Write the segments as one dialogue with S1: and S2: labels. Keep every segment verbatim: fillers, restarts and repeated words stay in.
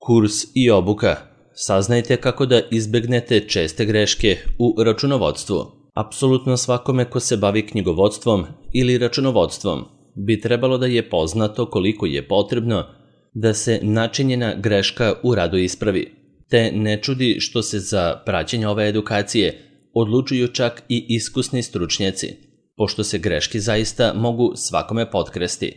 S1: Kurs i obuka. Saznajte kako da izbegnete česte greške u računovodstvu. Apsolutno svakome ko se bavi knjigovodstvom ili računovodstvom bi trebalo da je poznato koliko je potrebno da se načinjena greška u radu ispravi, te ne čudi što se za praćenje ove edukacije odlučuju čak i iskusni stručnjaci, pošto se greške zaista mogu svakome potkresti.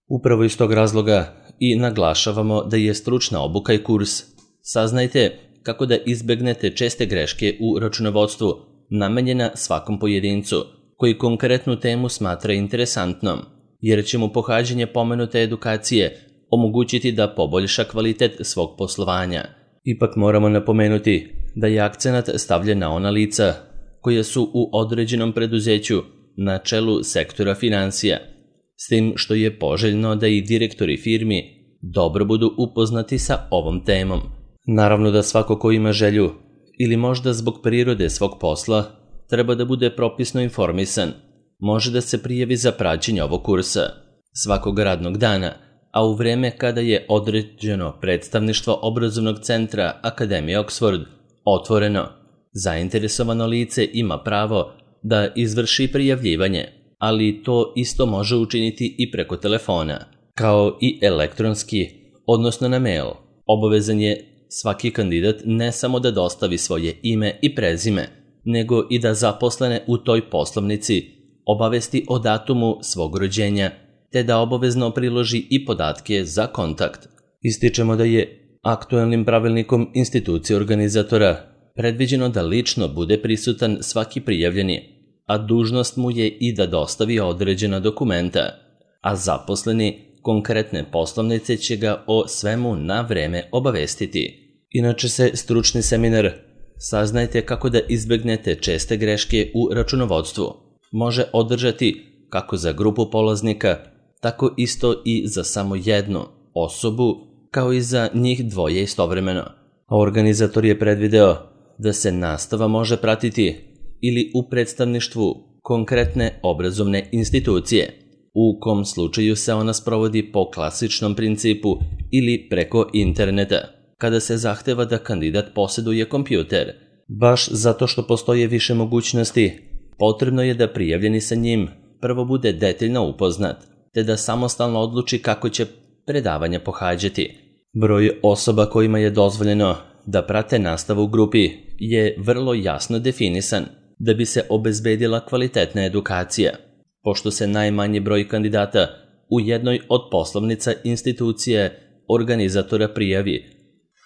S1: Upravo iz tog razloga i naglašavamo da je stručna obuka i kurs. Saznajte kako da izbegnete česte greške u računovodstvu namenjena svakom pojedincu koji konkretnu temu smatra interesantnom, jer će mu pohađanje pomenute edukacije omogućiti da poboljša kvalitet svog poslovanja. Ipak moramo napomenuti da je akcenat stavljen na ona lica koja su u određenom preduzeću na čelu sektora finansija, s tim što je poželjno da i direktori firmi dobro budu upoznati sa ovom temom. Naravno da svako ko ima želju ili možda zbog prirode svog posla treba da bude propisno informisan, može da se prijavi za praćenje ovog kursa svakog radnog dana, a u vreme kada je određeno predstavništvo obrazovnog centra Akademije Oxford otvoreno, zainteresovano lice ima pravo da izvrši prijavljivanje, ali to isto može učiniti i preko telefona, kao i elektronski, odnosno na mail. Obavezan je svaki kandidat ne samo da dostavi svoje ime i prezime, nego i da zaposlene u toj poslovnici obavesti o datumu svog rođenja, te da obavezno priloži i podatke za kontakt. Ističemo da je aktuelnim pravilnikom institucije organizatora predviđeno da lično bude prisutan svaki prijavljeni, a dužnost mu je i da dostavi određena dokumenta, a zaposleni konkretne poslovnice će ga o svemu na vreme obavestiti. Inače se stručni seminar Saznajte kako da izbegnete česte greške u računovodstvu može održati kako za grupu polaznika, tako isto i za samo jednu osobu, kao i za njih dvoje istovremeno. A organizator je predvideo da se nastava može pratiti ili u predstavništvu konkretne obrazovne institucije, u kom slučaju se ona sprovodi po klasičnom principu ili preko interneta, kada se zahteva da kandidat posjeduje kompjuter. Baš zato što postoje više mogućnosti, potrebno je da prijavljeni sa njim prvo bude detaljno upoznat, te da samostalno odluči kako će predavanja pohađati. Broj osoba kojima je dozvoljeno da prate nastavu u grupi je vrlo jasno definisan da bi se obezbedila kvalitetna edukacija, pošto se najmanji broj kandidata u jednoj od poslovnica institucije organizatora prijavi,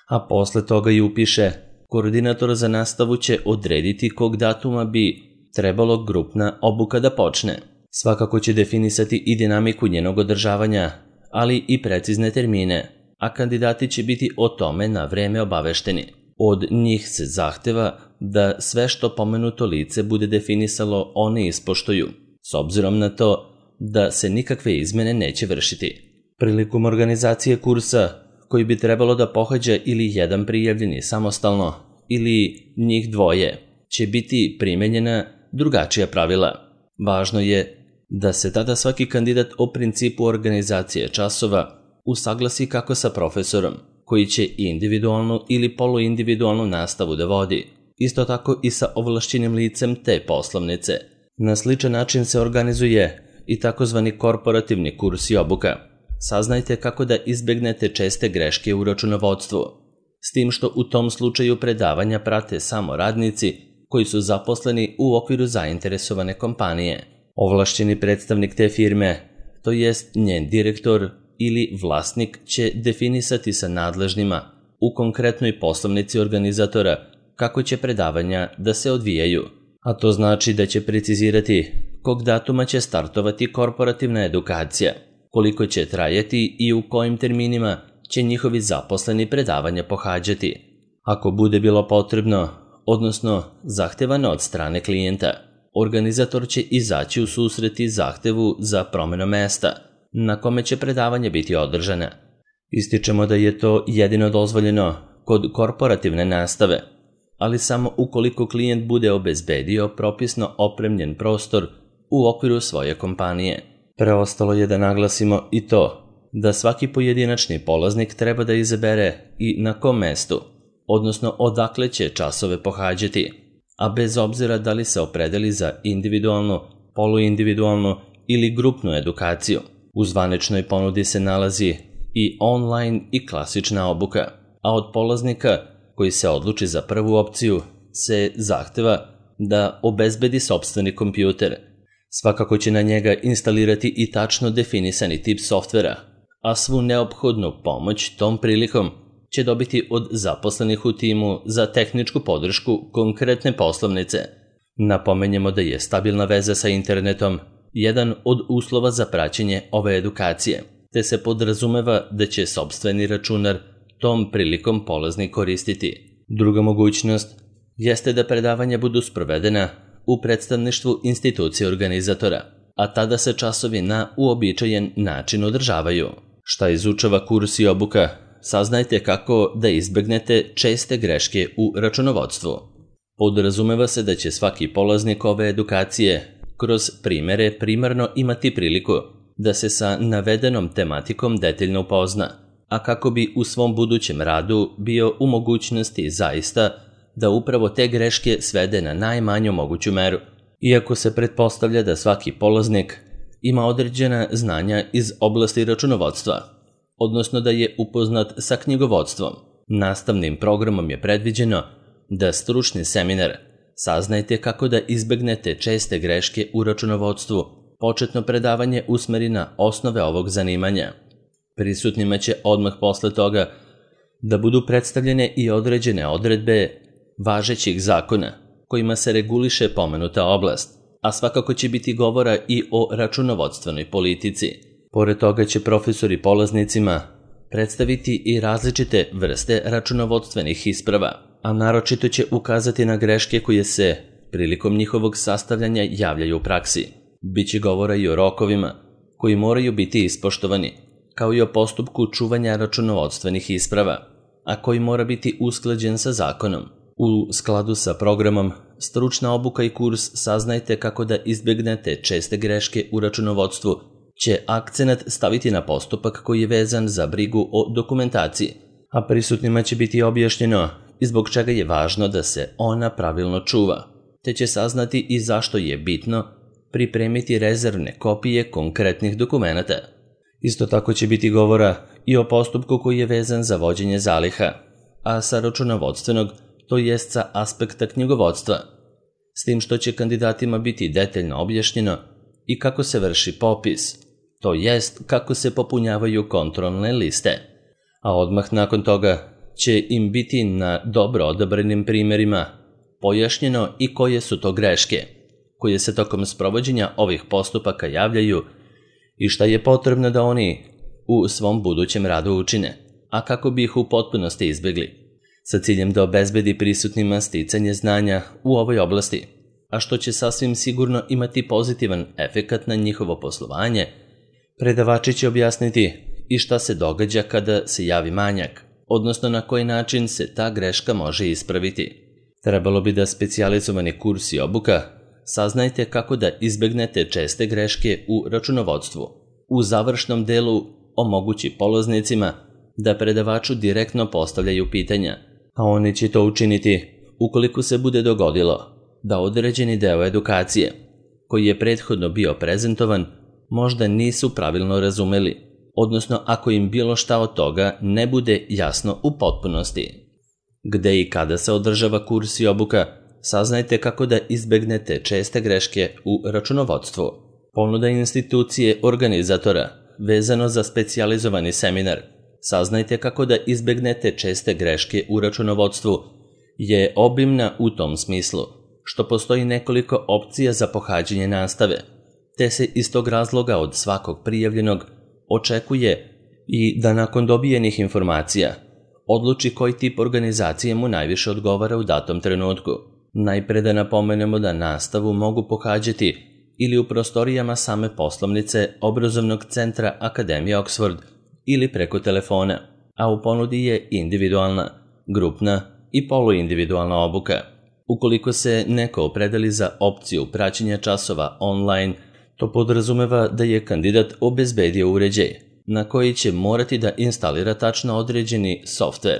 S1: a posle toga i upiše. Koordinator za nastavu će odrediti kog datuma bi trebalo grupna obuka da počne. Svakako će definisati i dinamiku njenog održavanja, ali i precizne termine, a kandidati će biti o tome na vreme obavešteni. Od njih se zahteva da sve što pomenuto lice bude definisalo one ispoštuju, s obzirom na to da se nikakve izmene neće vršiti. Prilikom organizacije kursa, koji bi trebalo da pohađa ili jedan prijavljeni samostalno ili njih dvoje, će biti primenjena drugačija pravila. Važno je da se tada svaki kandidat o principu organizacije časova usaglasi kako sa profesorom, koji će individualnu ili poluindividualnu nastavu da vodi, isto tako i sa ovlašćenim licem te poslovnice. Na sličan način se organizuje i takozvani korporativni kurs i obuka. Saznajte kako da izbegnete česte greške u računovodstvu, s tim što u tom slučaju predavanja prate samo radnici koji su zaposleni u okviru zainteresovane kompanije. Ovlašćeni predstavnik te firme, to jest njen direktor ili vlasnik, će definisati sa nadležnima u konkretnoj poslovnici organizatora kako će predavanja da se odvijaju, a to znači da će precizirati kog datuma će startovati korporativna edukacija, koliko će trajati i u kojim terminima će njihovi zaposleni predavanja pohađati. Ako bude bilo potrebno, odnosno zahtevano od strane klijenta, organizator će izaći u susret i zahtevu za promjenu mesta na kome će predavanje biti održana. Ističemo da je to jedino dozvoljeno kod korporativne nastave, ali samo ukoliko klijent bude obezbedio propisno opremljen prostor u okviru svoje kompanije. Preostalo je da naglasimo i to da svaki pojedinačni polaznik treba da izabere i na kom mestu, odnosno odakle će časove pohađati, a bez obzira da li se opredeli za individualnu, poluindividualnu ili grupnu edukaciju. U zvaničnoj ponudi se nalazi i online i klasična obuka, a od polaznika koji se odluči za prvu opciju se zahteva da obezbedi sopstveni kompjuter. Svakako će na njega instalirati i tačno definisani tip softvera, a svu neophodnu pomoć tom prilikom će dobiti od zaposlenih u timu za tehničku podršku konkretne poslovnice. Napomenjemo da je stabilna veza sa internetom jedan od uslova za praćenje ove edukacije, te se podrazumeva da će sopstveni računar tom prilikom polaznik koristiti. Druga mogućnost jeste da predavanja budu sprovedena u predstavništvu institucije organizatora, a tada se časovi na uobičajen način održavaju. Šta izučava kurs i obuka? Saznajte kako da izbegnete česte greške u računovodstvu. Podrazumeva se da će svaki polaznik ove edukacije kroz primere primarno imati priliku da se sa navedenom tematikom detaljno upozna, a kako bi u svom budućem radu bio u mogućnosti zaista da upravo te greške svede na najmanju moguću meru. Iako se pretpostavlja da svaki polaznik ima određena znanja iz oblasti računovodstva, odnosno da je upoznat sa knjigovodstvom, nastavnim programom je predviđeno da stručni seminar Saznajte kako da izbegnete česte greške u računovodstvu početno predavanje usmeri na osnove ovog zanimanja. Prisutnima će odmah posle toga da budu predstavljene i određene odredbe važećih zakona kojima se reguliše pomenuta oblast, a svakako će biti govora i o računovodstvenoj politici. Pored toga će profesori polaznicima predstaviti i različite vrste računovodstvenih isprava, a naročito će ukazati na greške koje se prilikom njihovog sastavljanja javljaju u praksi. Biće govora i o rokovima koji moraju biti ispoštovani, kao i o postupku čuvanja računovodstvenih isprava, a koji mora biti usklađen sa zakonom. U skladu sa programom Stručna obuka i kurs Saznajte kako da izbegnete česte greške u računovodstvu će akcenat staviti na postupak koji je vezan za brigu o dokumentaciji, a prisutnima će biti objašnjeno i zbog čega je važno da se ona pravilno čuva, te će saznati i zašto je bitno pripremiti rezervne kopije konkretnih dokumenata. Isto tako će biti govora i o postupku koji je vezan za vođenje zaliha, a sa računovodstvenog, to jest sa aspekta knjigovodstva, s tim što će kandidatima biti detaljno objašnjeno i kako se vrši popis, to jest kako se popunjavaju kontrolne liste, a odmah nakon toga će im biti na dobro odabranim primjerima pojašnjeno i koje su to greške koje se tokom sprovođenja ovih postupaka javljaju i šta je potrebno da oni u svom budućem radu učine, a kako bi ih u potpunosti izbjegli, sa ciljem da obezbedi prisutnima sticanje znanja u ovoj oblasti, a što će sasvim sigurno imati pozitivan efekat na njihovo poslovanje. Predavači će objasniti i šta se događa kada se javi manjak, odnosno na koji način se ta greška može ispraviti. Trebalo bi da specijalizovani kurs i obuka Saznajte kako da izbegnete česte greške u računovodstvu u završnom delu omogući polaznicima da predavaču direktno postavljaju pitanja, a oni će to učiniti ukoliko se bude dogodilo da određeni deo edukacije koji je prethodno bio prezentovan možda nisu pravilno razumeli, odnosno ako im bilo šta od toga ne bude jasno u potpunosti. Gde i kada se održava kurs i obuka, saznajte kako da izbegnete česte greške u računovodstvu. Ponuda institucije organizatora vezano za specijalizovani seminar Saznajte kako da izbegnete česte greške u računovodstvu je obimna u tom smislu što postoji nekoliko opcija za pohađanje nastave, te se iz tog razloga od svakog prijavljenog očekuje i da nakon dobijenih informacija odluči koji tip organizacije mu najviše odgovara u datom trenutku. Najpre da napomenemo da nastavu mogu pohađati ili u prostorijama same poslovnice obrazovnog centra Akademije Oxford ili preko telefona, a u ponudi je individualna, grupna i poluindividualna obuka. Ukoliko se neko opredeli za opciju praćenja časova online, to podrazumeva da je kandidat obezbedio uređaj na koji će morati da instalira tačno određeni softver.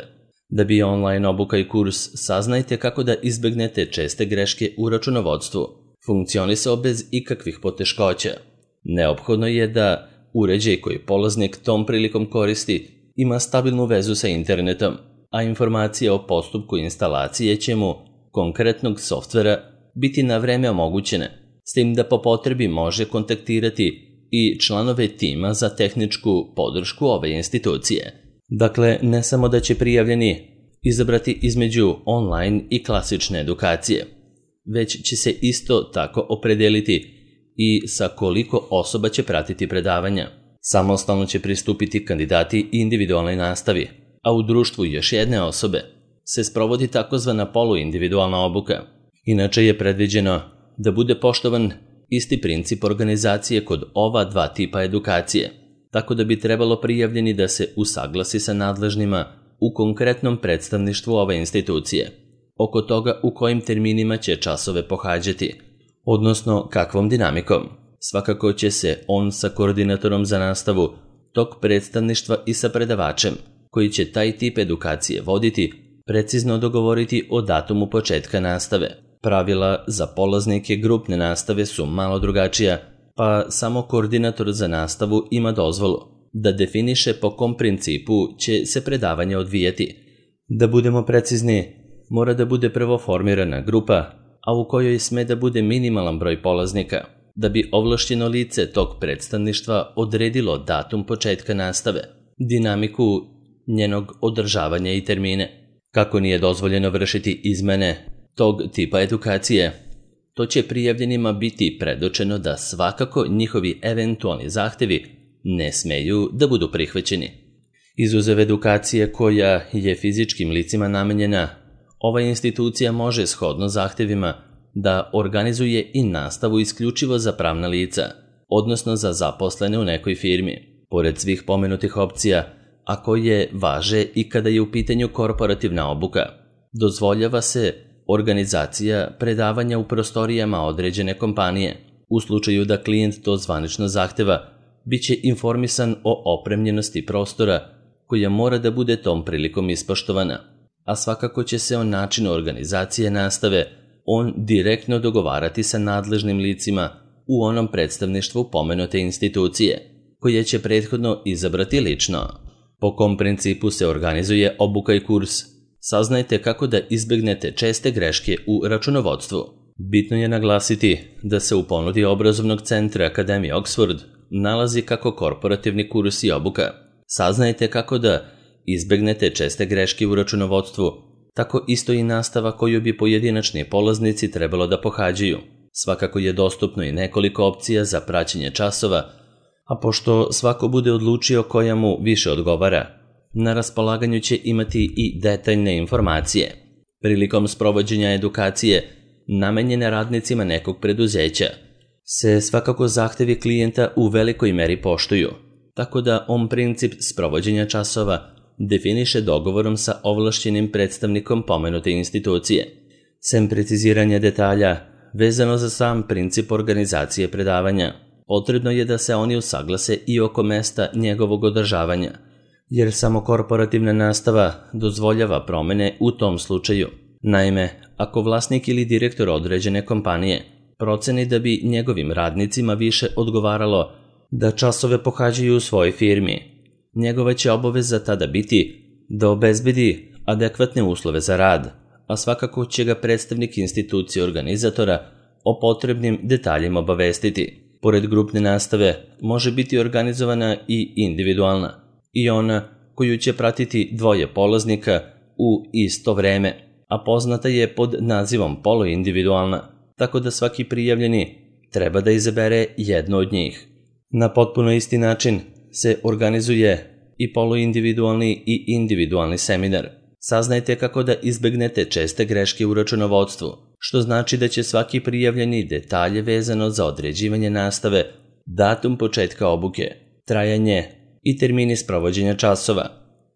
S1: Da bi online obuka i kurs Saznajte kako da izbegnete česte greške u računovodstvu funkcionisao bez ikakvih poteškoća. Neophodno je da uređaj koji polaznik tom prilikom koristi ima stabilnu vezu sa internetom, a informacije o postupku instalacije će mu konkretnog softvera biti na vreme omogućene, s tim da po potrebi može kontaktirati i članove tima za tehničku podršku ove institucije. Dakle, ne samo da će prijavljeni izabrati između online i klasične edukacije, već će se isto tako opredeliti i sa koliko osoba će pratiti predavanja. Samostalno će pristupiti kandidati individualnoj nastavi, a u društvu još jedne osobe se sprovodi takozvana poluindividualna obuka. Inače je predviđeno da bude poštovan isti princip organizacije kod ova dva tipa edukacije, tako da bi trebalo prijavljeni da se usaglasi sa nadležnima u konkretnom predstavništvu ove institucije oko toga u kojim terminima će časove pohađati, odnosno kakvom dinamikom. Svakako će se on sa koordinatorom za nastavu tog predstavništva i sa predavačem koji će taj tip edukacije voditi precizno dogovoriti o datumu početka nastave. Pravila za polaznike grupne nastave su malo drugačija, pa samo koordinator za nastavu ima dozvolu da definiše po kom principu će se predavanje odvijati. Da budemo precizni, mora da bude prvo formirana grupa, a u kojoj sme da bude minimalan broj polaznika, da bi ovlašćeno lice tog predstavništva odredilo datum početka nastave, dinamiku njenog održavanja i termine. Kako nije dozvoljeno vršiti izmene tog tipa edukacije, to će prijavljenima biti predočeno da svakako njihovi eventualni zahtevi ne smeju da budu prihvaćeni. Izuzev edukacije koja je fizičkim licima namenjena, ova institucija može shodno zahtevima da organizuje i nastavu isključivo za pravna lica, odnosno za zaposlene u nekoj firmi. Pored svih pomenutih opcija, a koje važe i kada je u pitanju korporativna obuka, dozvoljava se organizacija predavanja u prostorijama određene kompanije. U slučaju da klijent to zvanično zahteva, bit će informisan o opremljenosti prostora koja mora da bude tom prilikom ispoštovana, a svakako će se o načinu organizacije nastave on direktno dogovarati sa nadležnim licima u onom predstavništvu pomenute institucije, koje će prethodno izabrati lično. Po kom principu se organizuje obuka i kurs? Saznajte kako da izbegnete česte greške u računovodstvu. Bitno je naglasiti da se u ponudi obrazovnog centra Akademije Oxford nalazi kako korporativni kurs i obuka. Saznajte kako da izbegnete česte greške u računovodstvu, tako isto i nastava koju bi pojedinačni polaznici trebalo da pohađaju. Svakako je dostupno i nekoliko opcija za praćenje časova, a pošto svako bude odlučio koja mu više odgovara, na raspolaganju će imati i detaljne informacije. Prilikom sprovođenja edukacije namenjene radnicima nekog preduzeća se svakako zahtevi klijenta u velikoj meri poštuju, tako da on princip sprovođenja časova definiše dogovorom sa ovlašćenim predstavnikom pomenute institucije. Sem preciziranja detalja vezano za sam princip organizacije predavanja, potrebno je da se oni usaglase i oko mesta njegovog održavanja, jer samo korporativna nastava dozvoljava promene u tom slučaju. Naime, ako vlasnik ili direktor određene kompanije proceni da bi njegovim radnicima više odgovaralo da časove pohađaju u svojoj firmi, njegova će obaveza tada biti da obezbedi adekvatne uslove za rad, a svakako će ga predstavnik institucije organizatora o potrebnim detaljima obavestiti. Pored grupne nastave može biti organizovana i individualna, i ona koju će pratiti dvoje polaznika u isto vreme, a poznata je pod nazivom poluindividualna, tako da svaki prijavljeni treba da izabere jedno od njih. Na potpuno isti način se organizuje i poluindividualni i individualni seminar. Saznajte kako da izbegnete česte greške u računovodstvu, što znači da će svaki prijavljeni detalje vezano za određivanje nastave, datum početka obuke, trajanje i termini sprovođenja časova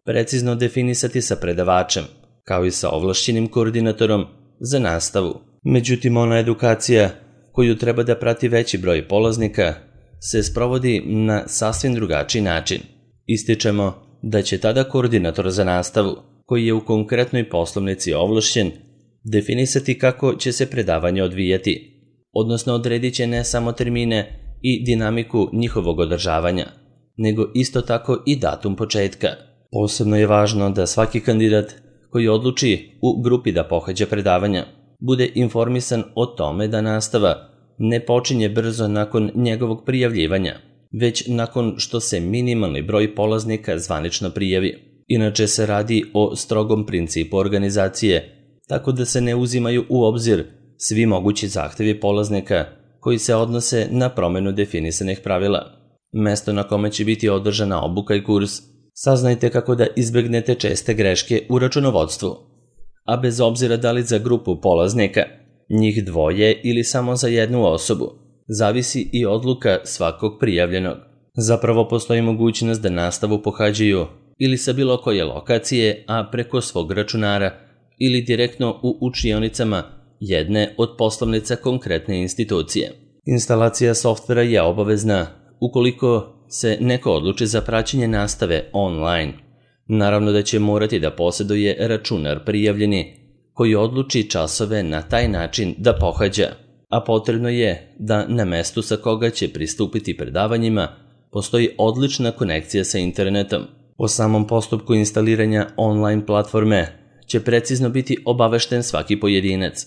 S1: precizno definisati sa predavačem, kao i sa ovlašćenim koordinatorom za nastavu. Međutim, ona edukacija koju treba da prati veći broj polaznika se sprovodi na sasvim drugačiji način. Ističemo da će tada koordinator za nastavu, koji je u konkretnoj poslovnici ovlašćen, definisati kako će se predavanje odvijati, odnosno odredit će ne samo termine i dinamiku njihovog održavanja, nego isto tako i datum početka. Posebno je važno da svaki kandidat koji odluči u grupi da pohađa predavanja bude informisan o tome da nastava ne počinje brzo nakon njegovog prijavljivanja, već nakon što se minimalni broj polaznika zvanično prijavi. Inače se radi o strogom principu organizacije, tako da se ne uzimaju u obzir svi mogući zahtevi polaznika koji se odnose na promenu definisanih pravila. Mesto na kome će biti održana obuka i kurs, saznajte kako da izbegnete česte greške u računovodstvu. A bez obzira da li za grupu polaznika, njih dvoje ili samo za jednu osobu, zavisi i odluka svakog prijavljenog. Zapravo postoji mogućnost da nastavu pohađaju ili sa bilo koje lokacije, a preko svog računara ili direktno u učionicama jedne od poslovnica konkretne institucije. Instalacija softvera je obavezna ukoliko se neko odluči za praćenje nastave online. Naravno da će morati da posjeduje računar prijavljeni koji odluči časove na taj način da pohađa, a potrebno je da na mestu sa koga će pristupiti predavanjima postoji odlična konekcija sa internetom. O samom postupku instaliranja online platforme će precizno biti obavešten svaki pojedinac,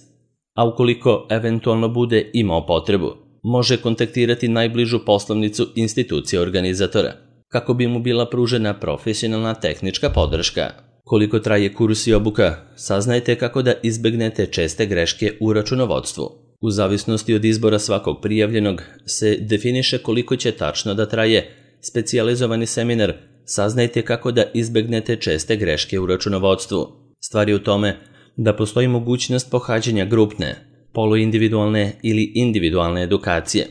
S1: a ukoliko eventualno bude imao potrebu, može kontaktirati najbližu poslovnicu institucije organizatora, kako bi mu bila pružena profesionalna tehnička podrška. Koliko traje kurs i obuka, saznajte kako da izbegnete česte greške u računovodstvu. U zavisnosti od izbora svakog prijavljenog se definiše koliko će tačno da traje specijalizovani seminar. Saznajte kako da izbegnete česte greške u računovodstvu. Stvar je u tome da postoji mogućnost pohađanja grupne, poluindividualne ili individualne edukacije,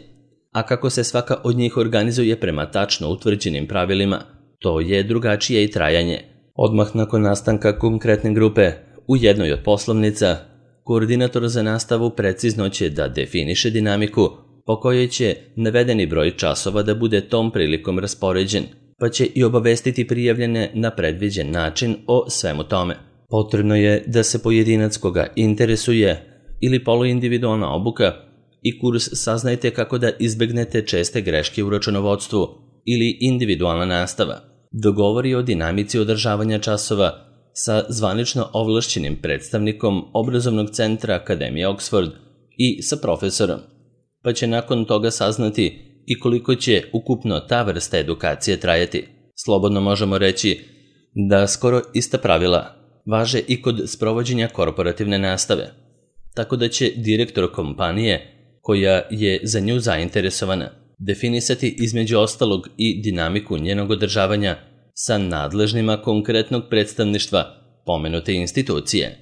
S1: a kako se svaka od njih organizuje prema tačno utvrđenim pravilima, to je drugačije i trajanje. Odmah nakon nastanka konkretne grupe u jednoj od poslovnica, koordinator za nastavu precizno će da definiše dinamiku po kojoj će navedeni broj časova da bude tom prilikom raspoređen, pa će i obavestiti prijavljene na predviđen način o svemu tome. Potrebno je da se pojedinac koga interesuje ili poluindividualna obuka i kurs saznajte kako da izbegnete česte greške u računovodstvu ili individualna nastava, dogovori o dinamici održavanja časova sa zvanično ovlašćenim predstavnikom obrazovnog centra Akademije Oxford i sa profesorom, pa će nakon toga saznati i koliko će ukupno ta vrsta edukacije trajati. Slobodno možemo reći da skoro ista pravila važe i kod sprovođenja korporativne nastave, tako da će direktor kompanije koja je za nju zainteresovana definisati između ostalog i dinamiku njenog održavanja sa nadležnima konkretnog predstavništva pomenute institucije.